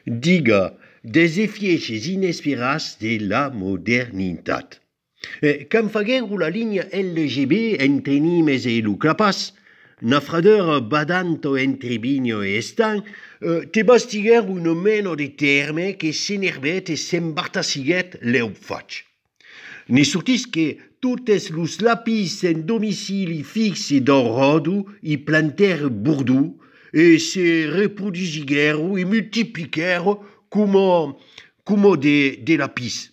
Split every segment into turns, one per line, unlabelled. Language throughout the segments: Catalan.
Diga, des effièches inesperats de la modernitat. Quand faguèrou la linha LGB entre Nimes e Luclapas, na fradeur badanto entre Vigno e Estan, te bastiguèrou un meno de terme que s'enervet e s'embartassiguet l'eu faig. Ne sortis que totes los lapis en domicili fixe d'Orodu i planter Bordeaux e se reproduisiguèrou e multipliquèrou como de lapis.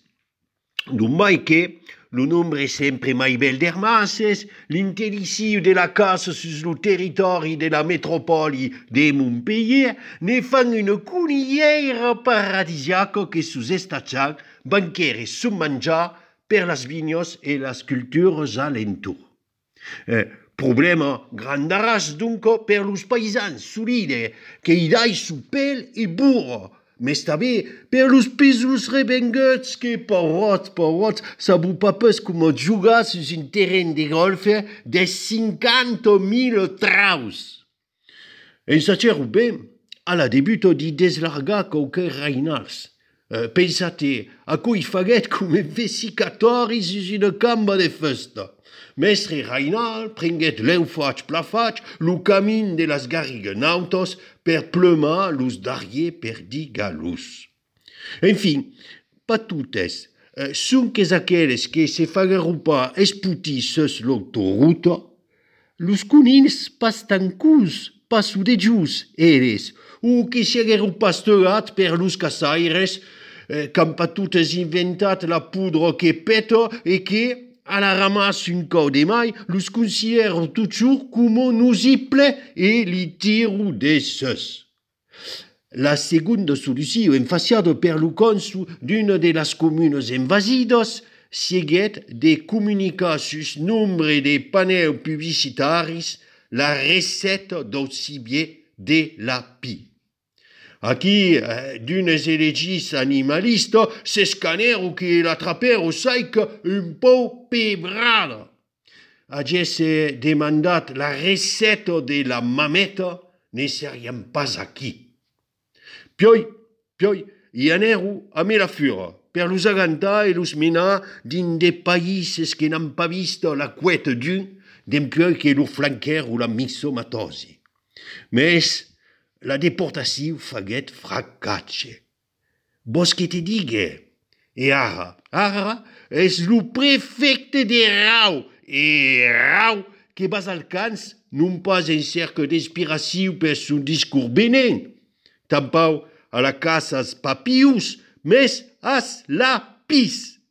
Non mai que lo nombre è sempre mai bel d'ermasses, l'intelliciu de la casa sus lo territori de la metropoli de Montpellier ne fan une conillera paradisiaca que sus estachant banquere submangiar per las vignos e las cultures alentour. Problema grandaras dunque per los paisans solide che i dai su pel e burro, mais també per los pesos rebenguts que parots, sabu papes com jugar sus un terreny de golf de 50.000 traus. En saceru ben, a la debuto di deslargar qualque reinals. Pensate a cui faguet come vesicatori sus una camba de festa. Mestre Reinal prenguet l'enfaig plafaig lo camin de las garriganautos per plumar los darrier per digalus. Enfin, pas totes, sonques aquelles que se faguerou pas esputir sus l'autoroute, los conins pas tancus, pas sudejus eres, ou que s'haguerou pasturat per los caçaires, quand pas totes inventat la poudre que peta e que, a la ramasse un cau de mai, los considèrent toujours como nuisible e li tiru de sus. La segunda solució, enfaciada per lo consul d'una de las comunes invasidas, siguet de comunicar sus nombre de panels publicitaris la receta del cibier de la pie. Aquí, d'unes elegis animalistes, s'escanèrent que l'atrapèrent saic un pou pebrada. Agesse demandat la receta de la mameta, ne seriam pas aquí. Pioi, i anèrou a me la fura, per los agantar e los menar din de païses que n'han pas vist la couette d'un, dempuèi que lo flanquèrou la mixomatosi. Mes, la deportació faguet fracatge. Vos que te digue? E ara és lo prefecte de Rau, e Rau que vas al cans non pas en cerca d'inspiració per son discours benent, tampau a la casa as papius, mes as lapis.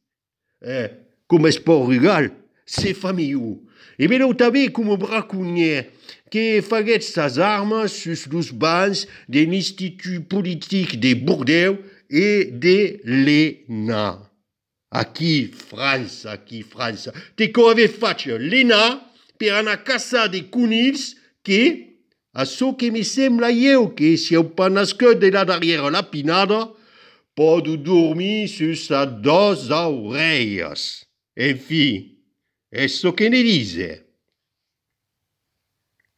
Com es pot regal, se familhou. E veleu també com braconnier, que faguet sas armes sus los bancs de l'Institut politique de Bordeaux et de l'ENA. Aquí, França. Te co ave faig l'ENA per anar a caçar de conills que, a çò que me sembla eu que si heu pas nascut de la darrere la pinada, pot dormir sus a dos orelhas. Enfim, é çò que ne dice.